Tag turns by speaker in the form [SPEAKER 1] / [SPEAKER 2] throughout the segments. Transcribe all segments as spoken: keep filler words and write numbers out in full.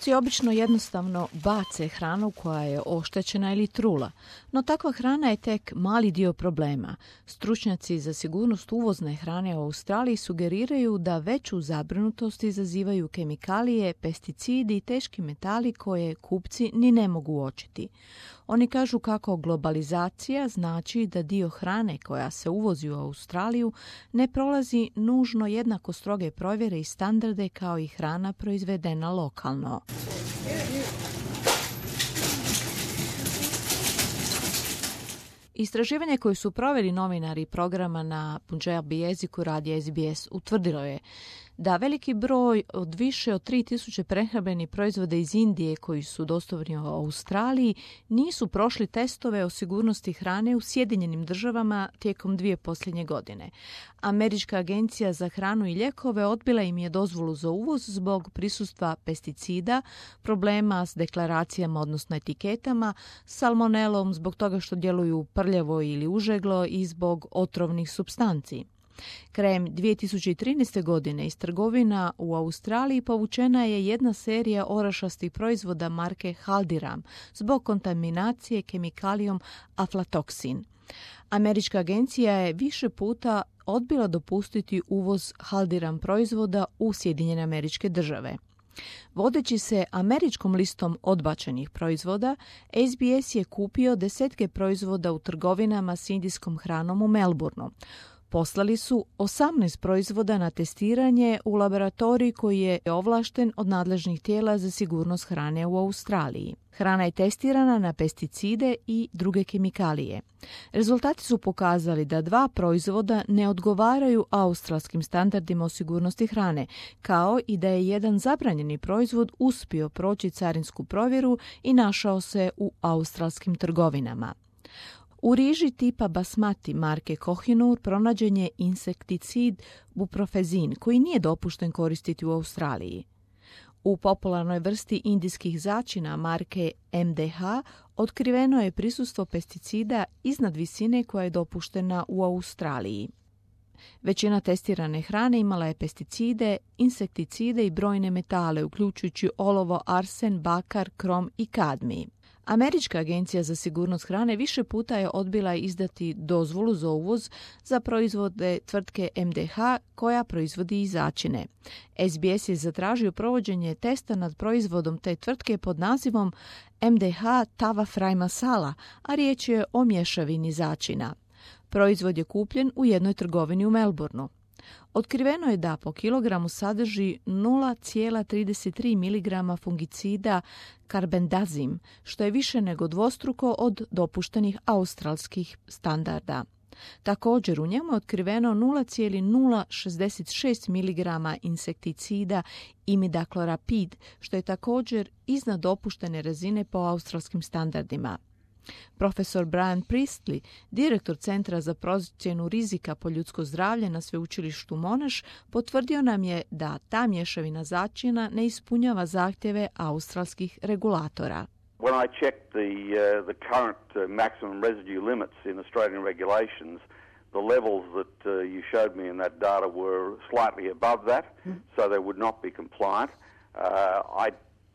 [SPEAKER 1] Trgovci obično jednostavno bace hranu koja je oštećena ili trula, no takva hrana je tek mali dio problema. Stručnjaci za sigurnost uvozne hrane u Australiji sugeriraju da veću zabrinutost izazivaju kemikalije, pesticidi i teški metali koje kupci ni ne mogu uočiti. Oni kažu kako globalizacija znači da dio hrane koja se uvozi u Australiju ne prolazi nužno jednako stroge provjere i standarde kao i hrana proizvedena lokalno. Istraživanje koje su proveli novinari programa na Punjabi jeziku radija S B S utvrdilo je da veliki broj od više od tri tisuće prehrambenih proizvoda iz Indije koji su dostupni u Australiji nisu prošli testove o sigurnosti hrane u Sjedinjenim državama tijekom dvije posljednje godine. Američka agencija za hranu i lijekove odbila im je dozvolu za uvoz zbog prisustva pesticida, problema s deklaracijama odnosno etiketama, salmonelom zbog toga što djeluju prljavo ili užeglo i zbog otrovnih supstanci. Krajem dvije tisuće trinaeste. godine iz trgovina u Australiji povučena je jedna serija orašastih proizvoda marke Haldiram zbog kontaminacije kemikalijom aflatoksin. Američka agencija je više puta odbila dopustiti uvoz Haldiram proizvoda u Sjedinjene Američke Države. Vodeći se američkom listom odbačenih proizvoda, S B S je kupio desetke proizvoda u trgovinama s indijskom hranom u Melbourneu. Poslali su osamnaest proizvoda na testiranje u laboratoriji koji je ovlašten od nadležnih tijela za sigurnost hrane u Australiji. Hrana je testirana na pesticide i druge kemikalije. Rezultati su pokazali da dva proizvoda ne odgovaraju australskim standardima o sigurnosti hrane, kao i da je jedan zabranjeni proizvod uspio proći carinsku provjeru i našao se u australskim trgovinama. U riži tipa basmati marke Kohinoor pronađen je insekticid buprofezin koji nije dopušten koristiti u Australiji. U popularnoj vrsti indijskih začina marke M D H otkriveno je prisustvo pesticida iznad visine koja je dopuštena u Australiji. Većina testirane hrane imala je pesticide, insekticide i brojne metale, uključujući olovo, arsen, bakar, krom i kadmij. Američka agencija za sigurnost hrane više puta je odbila izdati dozvolu za uvoz za proizvode tvrtke M D H koja proizvodi i začine. S B S je zatražio provođenje testa nad proizvodom te tvrtke pod nazivom M D H Tava Fry Masala, a riječ je o mješavini začina. Proizvod je kupljen u jednoj trgovini u Melbourneu. Otkriveno je da po kilogramu sadrži nula zarez trideset tri miligrama fungicida karbendazim, što je više nego dvostruko od dopuštenih australskih standarda. Također u njemu je otkriveno nula zarez nula šezdeset šest miligrama insekticida imidakloprapid, što je također iznad dopuštene razine po australskim standardima. Profesor Brian Priestley, direktor Centra za procjenu rizika po ljudsko zdravlje na sveučilištu Monash, potvrdio nam je da ta mješavina začina ne ispunjava zahtjeve australskih regulatora.
[SPEAKER 2] When I checked the uh, the current uh, maximum residue limits in Australian regulations, the levels that uh, you showed me in that data were slightly above that, so they would not be compliant. Uh, I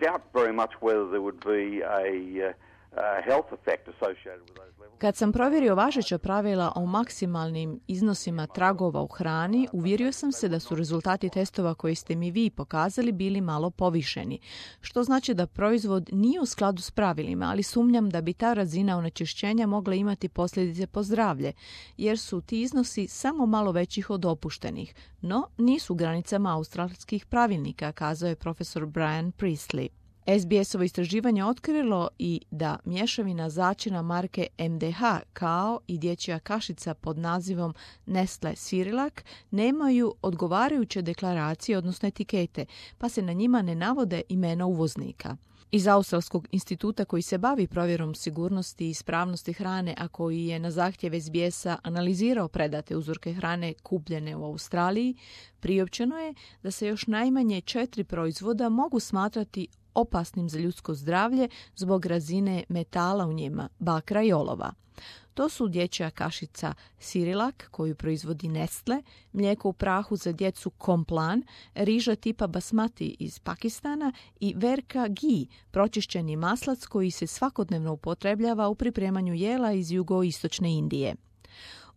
[SPEAKER 2] doubt very much whether there would be a uh,
[SPEAKER 1] Kad sam provjerio važeća pravila o maksimalnim iznosima tragova u hrani, uvjerio sam se da su rezultati testova koje ste mi vi pokazali bili malo povišeni, što znači da proizvod nije u skladu s pravilima, ali sumnjam da bi ta razina onečišćenja mogla imati posljedice po zdravlje, jer su ti iznosi samo malo većih od dopuštenih, no nisu u granicama australskih pravilnika, kazao je profesor Brian Priestley. S B S-ovo istraživanje otkrilo i da mješavina začina marke M D H kao i dječja kašica pod nazivom Nestle Cerelac nemaju odgovarajuće deklaracije, odnosno etikete, pa se na njima ne navode imena uvoznika. Iz Australskog instituta koji se bavi provjerom sigurnosti i ispravnosti hrane, a koji je na zahtjev S B S-a analizirao predate uzorke hrane kupljene u Australiji, priopćeno je da se još najmanje četiri proizvoda mogu smatrati opasnim za ljudsko zdravlje zbog razine metala u njima, bakra i olova. To su dječja kašica Cerelac koju proizvodi Nestle, mlijeko u prahu za djecu Complan, riža tipa basmati iz Pakistana i Verka Ghee, pročišćeni maslac koji se svakodnevno upotrebljava u pripremanju jela iz jugoistočne Indije.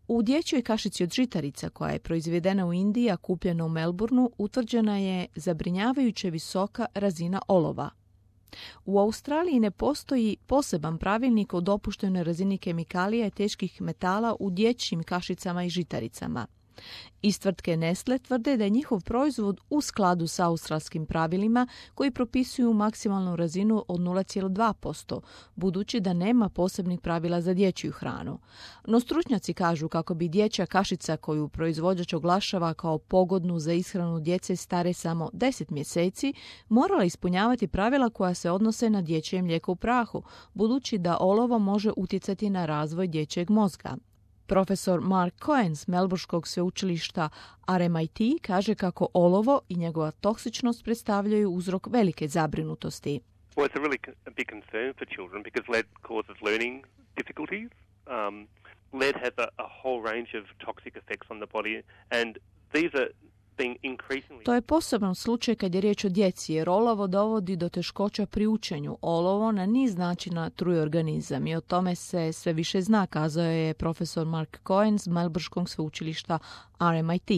[SPEAKER 1] U dječjoj kašici od žitarica koja je proizvedena u Indiji, a kupljena u Melbourneu, utvrđena je zabrinjavajuće visoka razina olova. U Australiji ne postoji poseban pravilnik o dopuštenoj razini kemikalija i teških metala u dječjim kašicama i žitaricama. Iz tvrtke Nestle tvrde da je njihov proizvod u skladu sa australskim pravilima koji propisuju maksimalnu razinu od nula zarez dva posto, budući da nema posebnih pravila za dječju hranu. No stručnjaci kažu kako bi dječja kašica koju proizvođač oglašava kao pogodnu za ishranu djece stare samo deset mjeseci morala ispunjavati pravila koja se odnose na dječje mlijeko u prahu, budući da olovo može utjecati na razvoj dječjeg mozga. Profesor Mark Cohen s Melbourneškog sveučilišta R M I T kaže kako olovo i njegova toksičnost predstavljaju uzrok velike zabrinutosti.
[SPEAKER 3] Well, it's a really a big concern for children because lead causes learning difficulties. Um, lead has a, a whole range of toxic effects on the body, and these are
[SPEAKER 1] To je poseban slučaj kad je riječ o djeci, jer olovo dovodi do teškoća pri učenju. Olovo na niz načina truje organizam i o tome se sve više zna, kazao je profesor Mark Cohen s Melbourneškog sveučilišta R M I T.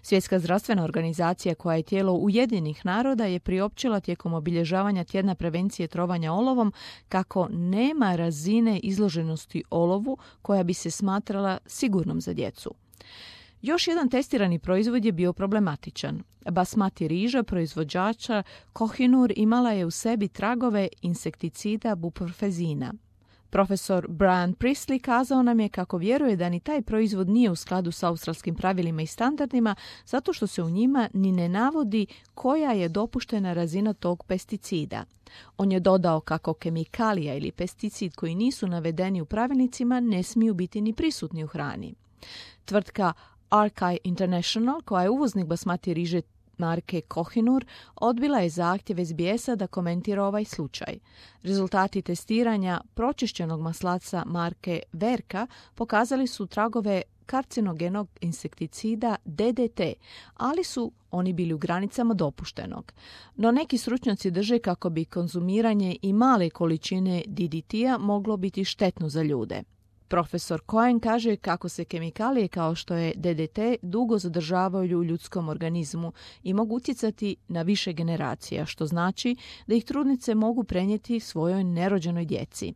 [SPEAKER 1] Svjetska zdravstvena organizacija, koja je tijelo Ujedinjenih naroda, je priopćila tijekom obilježavanja tjedna prevencije trovanja olovom kako nema razine izloženosti olovu koja bi se smatrala sigurnom za djecu. Još jedan testirani proizvod je bio problematičan. Basmati riža proizvođača Kohinoor imala je u sebi tragove insekticida buprofezina. Profesor Brian Priestley kazao nam je kako vjeruje da ni taj proizvod nije u skladu sa australskim pravilima i standardima zato što se u njima ni ne navodi koja je dopuštena razina tog pesticida. On je dodao kako kemikalija ili pesticid koji nisu navedeni u pravilnicima ne smiju biti ni prisutni u hrani. Tvrtka Arkai International, koja je uvoznik basmati riže marke Kohinoor, odbila je zahtjev S B S-a da komentira ovaj slučaj. Rezultati testiranja pročišćenog maslaca marke Verka pokazali su tragove karcinogenog insekticida D D T, ali su oni bili u granicama dopuštenog. No neki stručnjaci drže kako bi konzumiranje i male količine D D T-a moglo biti štetno za ljude. Profesor Cohen kaže kako se kemikalije kao što je D D T dugo zadržavaju u ljudskom organizmu i mogu utjecati na više generacija, što znači da ih trudnice mogu prenijeti svojoj nerođenoj djeci.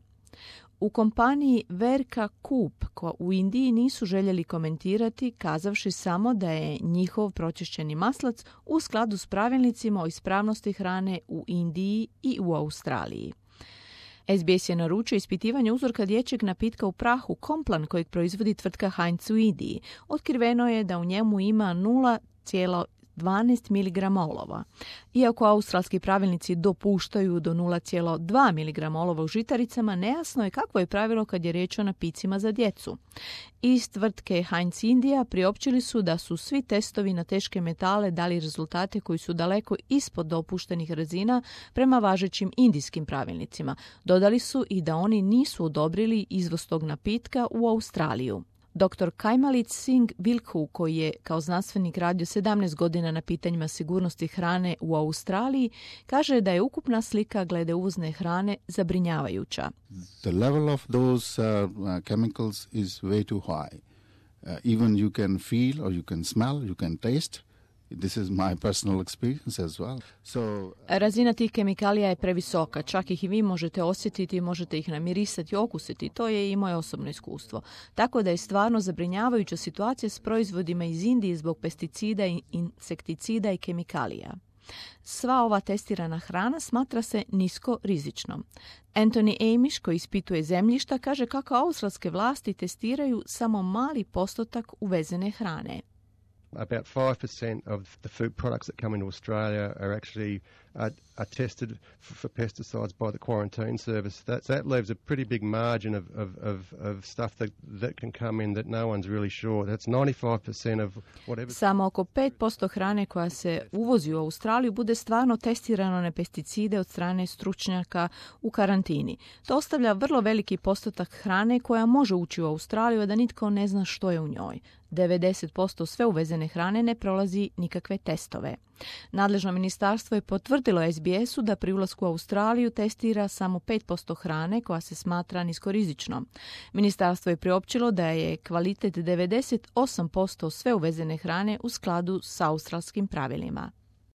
[SPEAKER 1] U kompaniji Verka Coop u Indiji nisu željeli komentirati, kazavši samo da je njihov pročišćeni maslac u skladu s pravilnicima o ispravnosti hrane u Indiji i u Australiji. S B S je naručio ispitivanje uzorka dječjeg napitka u prahu Complan kojeg proizvodi tvrtka Heinz u Indiji. Otkriveno je da u njemu ima nula zarez dvanaest miligrama olova. Iako australski pravilnici dopuštaju do nula zarez dva miligrama olova u žitaricama, nejasno je kakvo je pravilo kad je riječ o napicima za djecu. Iz tvrtke Heinz Indija priopćili su da su svi testovi na teške metale dali rezultate koji su daleko ispod dopuštenih razina prema važećim indijskim pravilnicima. Dodali su i da oni nisu odobrili izvoz tog napitka u Australiju. doktor Kaimalit Singh Vilku, koji je kao znanstvenik radio sedamnaest godina na pitanjima sigurnosti hrane u Australiji, kaže da je ukupna slika glede uvozne hrane zabrinjavajuća.
[SPEAKER 4] The level of those uh, chemicals is way too high. Uh, even you can feel or you can smell, you can taste. This is my personal experience as well. So,
[SPEAKER 1] razina tih kemikalija je previsoka, čak ih i vi možete osjetiti, možete ih namirisati, okusiti, to je i moje osobno iskustvo. Tako da je stvarno zabrinjavajuća situacija s proizvodima iz Indije zbog pesticida, insekticida i kemikalija. Sva ova testirana hrana smatra se nisko rizičnom. Anthony Amish, koji ispituje zemljišta, kaže kako australske vlasti testiraju samo mali postotak uvezene hrane.
[SPEAKER 5] About five percent of the food products that come into Australia are actually are, are tested for, for pesticides by the quarantine service. That, that leaves a pretty big margin of, of, of, of stuff that, that can come in that no one's really sure. That's ninety-five percent of whatever...
[SPEAKER 1] Samo oko pet posto hrane koja se uvozi u Australiju bude stvarno testirano na pesticide od strane stručnjaka u karantini. To ostavlja vrlo veliki postotak hrane koja može ući u Australiju, a da nitko ne zna što je u njoj. devedeset posto sve uvezene hrane ne prolazi nikakve testove. Nadležno ministarstvo je potvrdilo es bi esu da pri ulasku u Australiju testira samo pet posto hrane koja se smatra niskorizičnom. Ministarstvo je priopćilo da je kvalitet devedeset osam posto sve uvezene hrane u skladu s australskim pravilima.